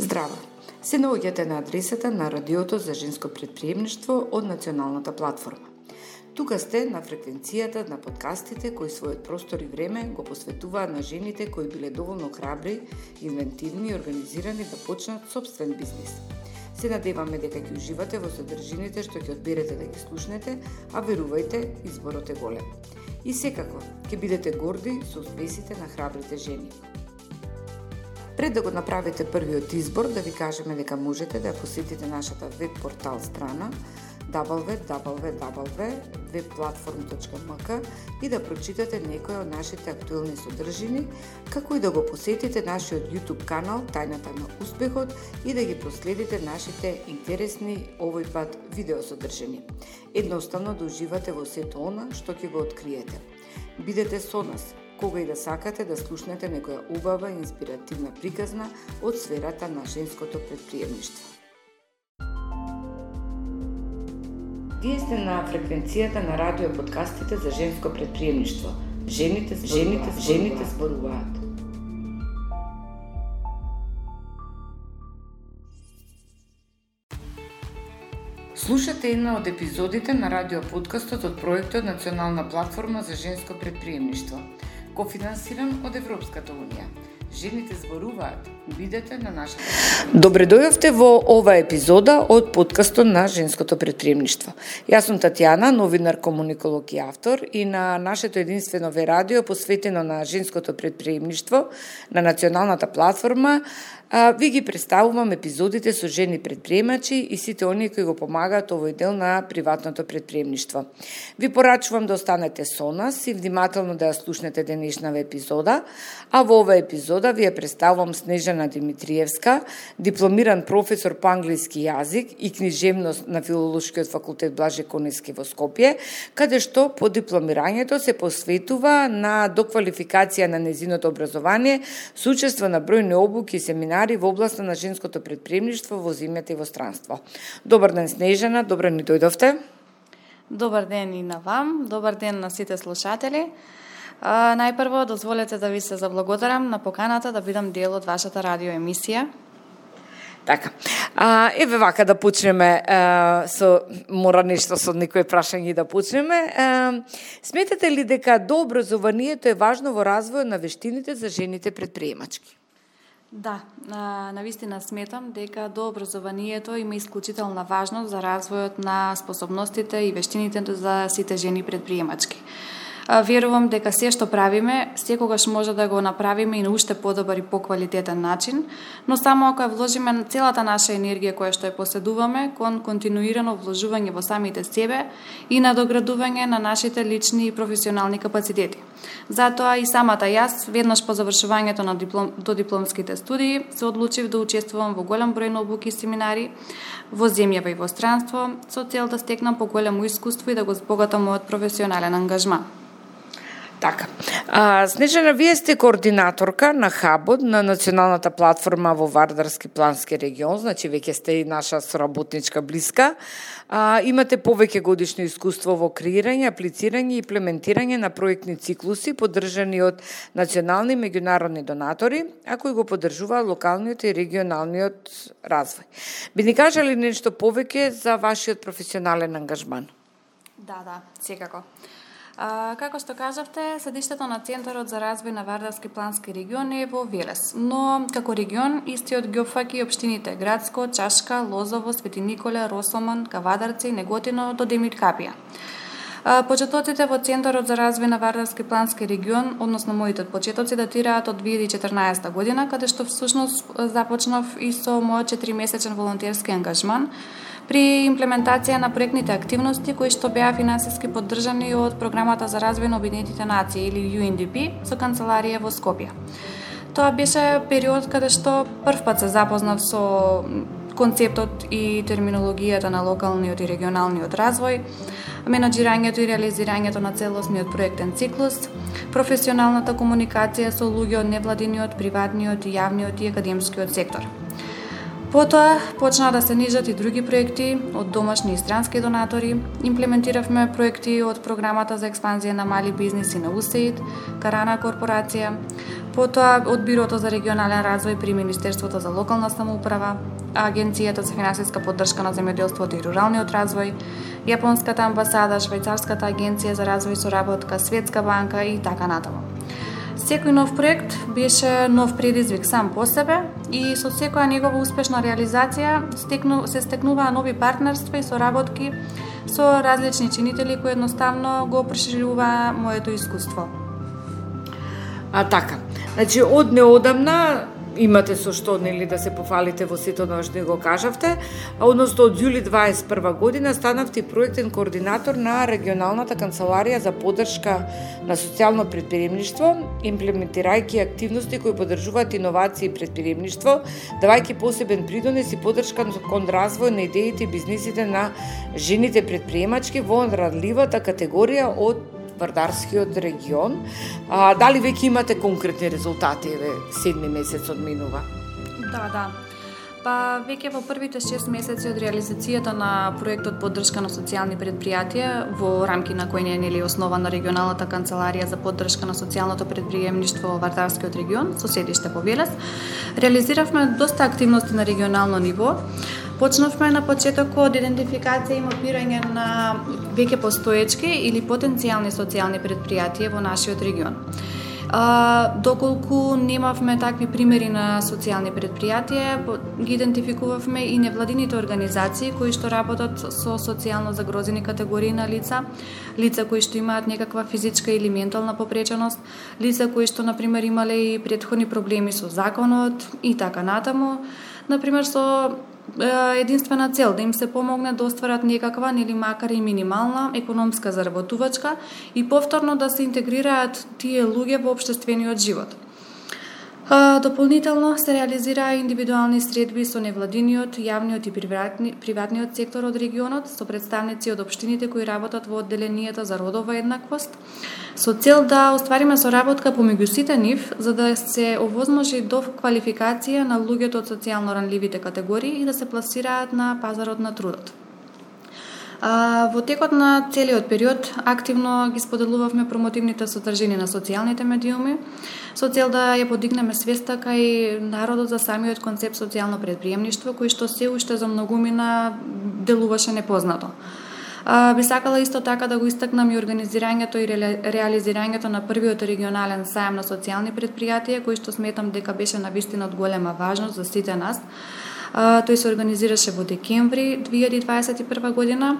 Здраво! Се наоѓате на адресата на Радиото за женско претприемништво од Националната платформа. Тука сте на фреквенцијата на подкастите кои својот простор и време го посветуваат на жените кои биле доволно храбри, инвентивни и организирани да почнат собствен бизнис. Се надеваме дека ќе уживате во содржините што ќе одберете да ги слушнете, а верувајте, изборот е голем. И секако, ќе бидете горди со успесите на храбрите жени. Пред да го направите првиот избор, да ви кажеме дека можете да посетите нашата веб портал страна www.webplatform.mk и да прочитате некои од нашите актуелни содржини, како и да го посетите нашиот YouTube канал Тајната на успехот и да ги проследите нашите интересни овој пат видеосодржини. Едноставно да уживате во сето она што ќе го откриете. Бидете со нас кога и да сакате да слушнете некоја убава и инспиративна приказна од сферата на женското претприемништво. Вие сте на фреквенцијата на радио подкастите за женско претприемништво. Жените зборуваат. Слушате една од епизодите на радио подкастот од проектот Национална платформа за женско претприемништво, кофинансиран од Европската унија. Жените зборуваат. Бидете на нашата. Добре дојавте во ова епизода од подкастот на женското претприемништво. Јас сум Татјана, новинар, комуниколог и автор, и на нашето единствено радио посветено на женското претприемништво на Националната платформа ви ги представувам епизодите со жени претприемачи и сите оние кои го помагаат овој дел на приватното претприемништво. Ви порачувам да останете со нас и внимателно да ја слушнете денешната епизода, а во оваа епизода ви ја представувам Снежана Димитриевска, дипломиран професор по англиски јазик и книжевност на Филолошкиот факултет Блаже Коневски во Скопје, каде што по дипломирањето се посветува на доквалификација на нејзиното образование со учество на бројни обуки и семинари во областа на женското претприемништво во земјата и во странство. Добар ден, Снежана, добро ни дојдовте. Добар ден и на вам, добар ден на сите слушатели. Најпрво, дозволете да ви се заблагодарам на поканата да бидам дел од вашата радиоемисија. Така. Еве вака да почнеме мора нешто со некои прашања да почнеме. Сметате ли дека дообразованието е важно во развојот на вештините за жените претприемачки? Да, навистина сметам дека дообразованието има исклучителна важност за развојот на способностите и вештините за сите жени претприемачки. Верувам дека се што правиме, секогаш може да го направиме и на уште подобар и поквалитетен начин, но само ако ја вложиме целата наша енергија која што ја поседуваме кон континуирано вложување во самите себе и надоградување на нашите лични и професионални капацитети. Затоа и самата јас, веднаш по завршувањето на додипломските студии, се одлучив да учествувам во голем број на обуки и семинари во земјава и во странство, со цел да стекнам поголемо искуство и да го збогатам мојот професионален ангажман. Така. Снежана, вие сте координаторка на хабот на Националната платформа во Вардарски плански регион, значи веќе сте и наша соработничка блиска. Имате повеќе годишно искуство во креирање, аплицирање и имплементирање на проектни циклуси поддржани од национални и меѓународни донатори, а кои го поддржуваат локалниот и регионалниот развој. Би ни кажали нешто повеќе за вашиот професионален ангажман? Да, секако. Како што кажавте, седиштето на Центарот за развој на Вардарски плански регион е во Велес, но како регион истиот ги опфаќа и општините Градско, Чашка, Лозово, Свети Николе, Росомон, Кавадарци, Неготино до Демир Капија. Почетоците во Центарот за развој на Вардарски плански регион, односно моите почетоци, датираат од 2014 година, каде што всушност започнав и со мојот 4-месечен волонтерски ангажман при имплементација на проектните активности кои што беа финансиски поддржани од Програмата за развој на Обединетите нации или UNDP со канцеларија во Скопје. Тоа беше период каде што првпат се запознав со концептот и терминологијата на локалниот и регионалниот развој, менаџирањето и реализирањето на целосниот проектен циклус, професионалната комуникација со луѓе од невладиниот, приватниот и јавниот и академскиот сектор. Потоа почна да се нижат и други проекти од домашни и странски донатори. Имплементиравме проекти од Програмата за експанзија на мали бизниси на УСАИД, Карана корпорација, потоа од Бирото за регионален развој при Министерството за локална самоуправа, Агенцијата за финансиска поддршка на земјоделството и руралниот развој, Јапонската амбасада, Швајцарската агенција за развој и соработка, Светска банка и така натаму. Секој нов проект беше нов предизвик сам по себе и со секоја негова успешна реализација се стекнуваа нови партнерства и соработки со различни чинители кои едноставно го прошируваа моето искуство. Така, значи од неодамна имате со што да се пофалите во сето тоа што го кажавте, односно од јули 21 година станавте проектен координатор на регионалната канцеларија за поддршка на социјално претприемништво, имплементирајќи активности кои поддржуваат иновации и претприемништво, давајќи посебен придонес и поддршка кон развој на идеите и бизнисите на жените претприемачки во радливата категорија од Вардарскиот регион. Дали веќе имате конкретни резултати, седми месец одминува? Да. Па веќе во првите 6 месеци од реализацијата на проектот поддршка на социјални предпријатија во рамки на кој не е основана регионалната канцеларија за поддршка на социјалното предприемништво во Вардарскиот регион со седиште во Велес, реализиравме доста активности на регионално ниво. Почнавме на почетокот од идентификација и мапирање на веќе постоечки или потенцијални социјални предпријатија во нашиот регион. Доколку немавме такви примери на социјални предпријатија, ги идентификувавме и невладините организации кои што работат со социјално загрозени категории на лица кои што имаат некаква физичка или ментална попреченост, лица кои што например имале и претходни проблеми со законот и така натаму, например со единствена цел да им се помогне да остварат некаква или макар и минимална економска заработувачка и повторно да се интегрираат тие луѓе во општествениот живот. Дополнително се реализираа индивидуални средби со невладиниот, јавниот и приватниот сектор од регионот, со представници од општините кои работат во одделенијата за родова еднаквост, со цел да оствариме соработка помеѓу сите нив, за да се овозможи до квалификација на луѓето од социјално ранливите категории и да се пласираат на пазарот на трудот. Во текот на целиот период активно ги споделувавме промотивните содржини на социјалните медиуми со цел да ја подигнеме свеста кај народот за самиот концепт социјално претприемништво кој што се уште за многумина делуваше непознато. Би сакала исто така да го истакнам и организирањето и реализирањето на првиот регионален сајам на социјални претпријатија кој што сметам дека беше навистина од голема важност за сите нас. Тој се организираше во декември 2021 година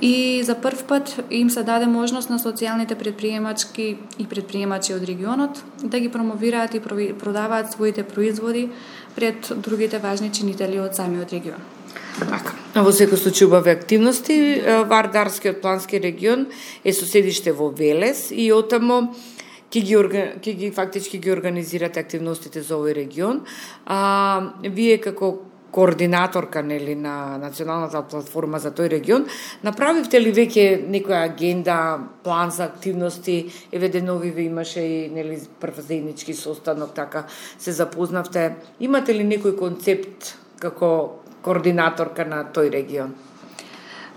и за прв пат им се даде можност на социјалните предприемачки и предприемачи од регионот да ги промовираат и продаваат своите производи пред другите важни чинители од самиот регион. Така, во секој случај убави активности, Вардарскиот плански регион е со седиште во Велес и отамо ќе ги фактички ги организирате активностите за овој регион. Вие како координаторка на националната платформа за тој регион, направивте ли веќе некоја агенда, план за активности, нови ви имаше и прв заеднички состанок, така се запознавте. Имате ли некој концепт како координаторка на тој регион?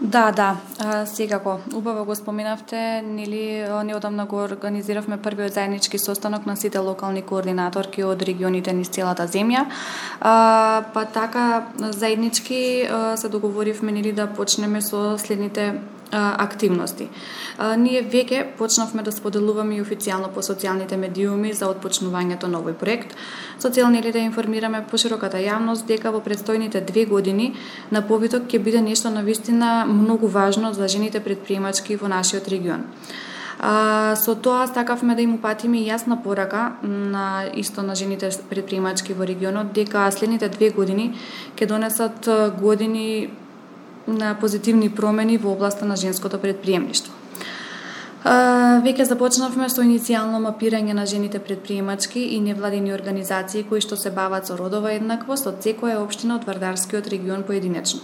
Да, секако. Убаво го споменавте, неодамна го организиравме првиот заеднички состанок на сите локални координаторки од регионите низ целата земја. Па така, заеднички се договоривме да почнеме со следните активности. Ние веќе почнавме да споделуваме и официјално по социјалните медиуми за отпочнувањето на овој проект, со цел да информираме пошироката јавност дека во предстојните 2 години на повиток ќе биде нешто навистина многу важно за жените претприемачки во нашиот регион. Со тоа сакавме да им упатиме јасна порака на жените претприемачки во регионот дека следните 2 години ќе донесат години на позитивни промени во областа на женското претприемништво. Веќе започнавме со иницијално мапирање на жените претприемачки и невладини организации кои што се бават со родова еднаквост од секоја општина од Вардарскиот регион поединечно.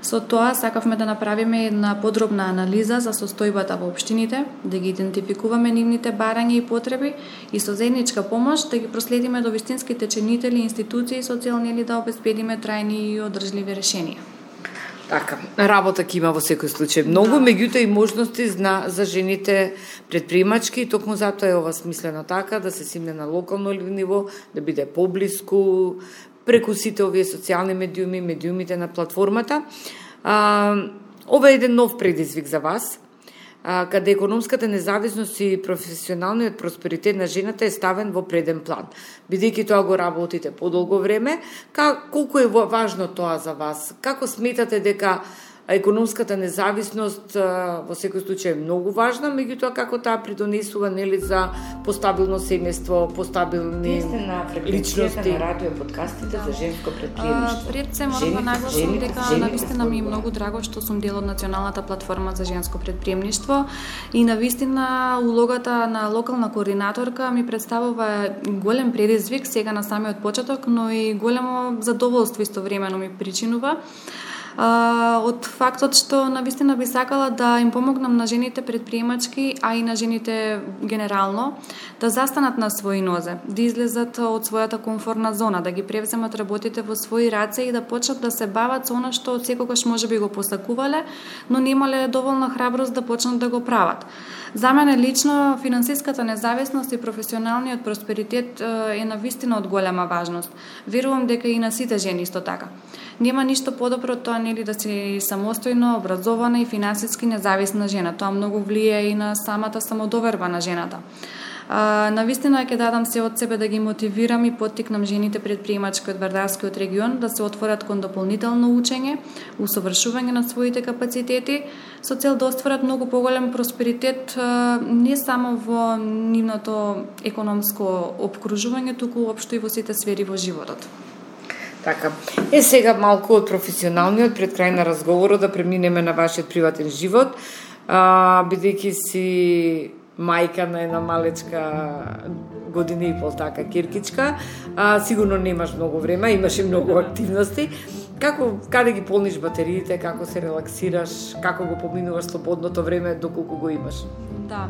Со тоа сакавме да направиме една подробна анализа за состојбата во општините, да ги идентификуваме нивните барања и потреби и со заедничка помош да ги проследиме до вистинските чинители и институции со цел да обезбедиме трајни и одржливи решенија. Така, работа ќе има во секој случај многу, меѓутоа и можности за жените предприемачки, и токму затоа е ова смислено така, да се симне на локално ниво, да биде поблиску, преку сите овие социјални медиуми, медиумите на платформата. Ова е еден нов предизвик за вас, каде економската независност и професионалниот просперитет на жената е ставен во преден план. Бидејќи тоа го работите подолго време, колку е важно тоа за вас? Како сметате дека економската независност во секој случај е многу важна, меѓутоа како таа придонесува нели за постабилно семејство, постабилни личности на радио подкастите за женско предприемништво. Пред се морам да нагласам дека навистина ми е многу драго што сум дел од Националната платформа за женско предприемништво и навистина улогата на локална координаторка ми представува голем предизвик сега на самиот почеток, но и големо задоволство истовремено ми причинува. Од фактот што навистина би сакала да им помогнам на жените предприемачки, а и на жените генерално, да застанат на своји нозе, да излезат од својата комфортна зона, да ги превземат работите во своји раце и да почнат да се бават со она што секогаш можеби го посакувале, но немале доволна храброст да почнат да го прават. За мене лично финансиската независност и професионалниот просперитет е навистина од голема важност. Верувам дека и на сите жени исто така. Нема ништо подобро од тоа нели да си самостојно, образована и финансиски независна жена. Тоа многу влијае и на самата самодоверба на жената. Навистина ќе дадам се од себе да ги мотивирам и поттикнам жените предприемачки од Вардарскиот регион да се отворат кон дополнително учење, усовршување на своите капацитети, со цел да остварат многу поголем просперитет не само во нивното економско обкружување, туку уопшто и во сите сфери во животот. Така. Сега малку од професионалниот пред крај на разговорот да преминеме на вашиот приватен живот, бидејќи си мајка на една малечка година и пол, така, киркичка, сигурно немаш многу време, имаш и многу активности. Каде ги полниш батериите, како се релаксираш, како го поминуваш слободното време, доколку го имаш? Да.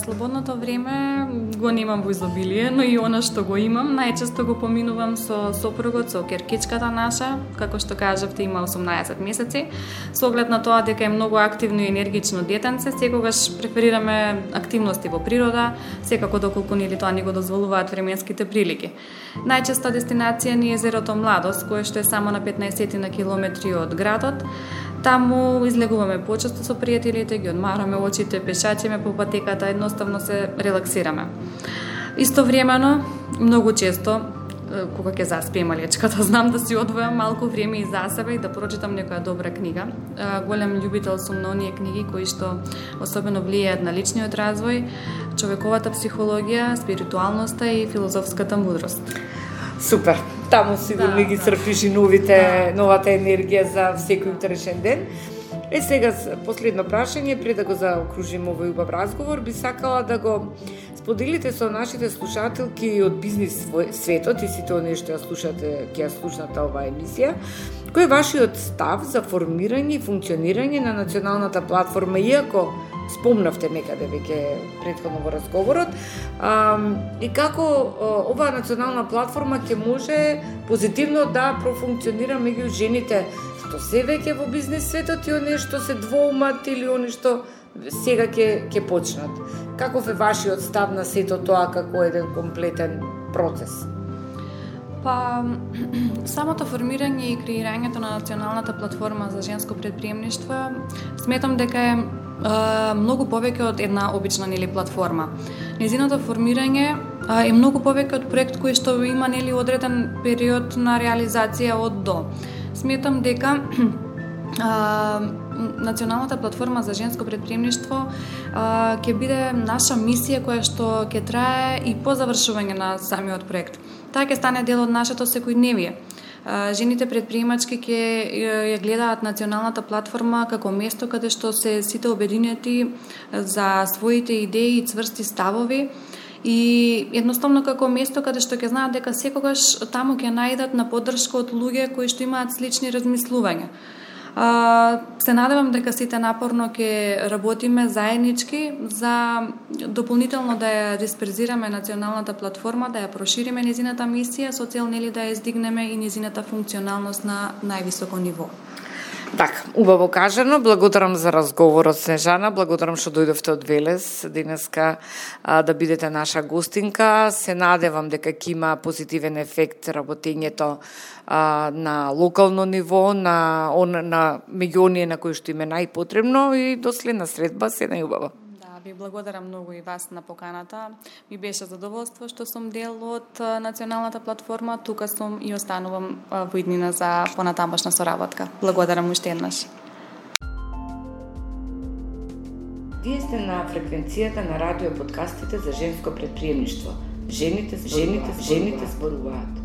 Слободното време го немам во изобилие, но и она што го имам, најчесто го поминувам со сопругот, со керкичката наша, како што кажавте, има 18 месеци. Со оглед на тоа дека е многу активно и енергично детенце, секогаш преферираме активности во природа, секако доколку нели тоа ни го дозволуваат временските прилики. Најчеста дестинација ни е езерото Младост, кое што е само на 15 на километри од градот. Таму излегуваме почесто со пријателите, ги одмараме очите, пешачиме по патеката, едноставно се релаксираме. Истовремено, многу често, кога ќе заспие малечката, знам да си одвојам малку време и за себе и да прочитам некоја добра книга. Голем љубител сум на оние книги кои што особено влијаат на личниот развој, човековата психологија, спиритуалноста и филозофската мудрост. Супер. Таму сигурно ги црпиш и новата енергија за секој утрешен ден. Сега последно прашање пред да го заокружиме овој убав разговор, би сакала да го споделите со нашите слушателки од бизнис светот и сите оние што ќе ја слушнат оваа емисија, кој е вашиот став за формирање и функционирање на националната платформа, иако спомнавте некаде веќе претходно во разговорот, и како оваа национална платформа ќе може позитивно да профункционира меѓу жените што се веќе во бизнес светот и оние што се двоумат или оние што сега ќе почнат. Каков е вашиот став на сето тоа како еден комплетен процес? Самото формирање и креирањето на националната платформа за женско предприемништво сметам дека е многу повеќе од една обична платформа. Незиното формирање е многу повеќе од проект кој што има одреден период на реализација од до. Сметам дека Националната платформа за женско предприемништво ќе биде наша мисија која што ќе трае и по завршување на самиот проект. Таа ќе стане дел од нашето секојдневие. Жените предприемачки ќе ја гледаат националната платформа како место каде што се сите обединети за своите идеи и цврсти ставови и едноставно како место каде што ќе знаат дека секогаш таму ќе најдат на поддршка од луѓе кои што имаат слични размислувања. Се надевам дека сите напорно ќе работиме заеднички за дополнително да ја дисперзираме националната платформа, да ја прошириме незината мисија со цел да ја издигнеме и незината функционалност на највисоко ниво. Така, убаво кажано, благодарам за разговорот, Снежана, благодарам што дојдовте од Велес денеска да бидете наша гостинка. Се надевам дека ќе има позитивен ефект работењето на локално ниво, на меѓу оние на кои што им е најпотребно и до следна средба се најубаво. Ви благодарам многу и вас на поканата. Ми беше задоволство што сум дел од националната платформа. Тука сум и останувам во иднина за понатамошна соработка. Благодарам уште еднаш. Вие сте на фреквенцијата на радио подкастите за женско претприемништво. Жените зборуваат.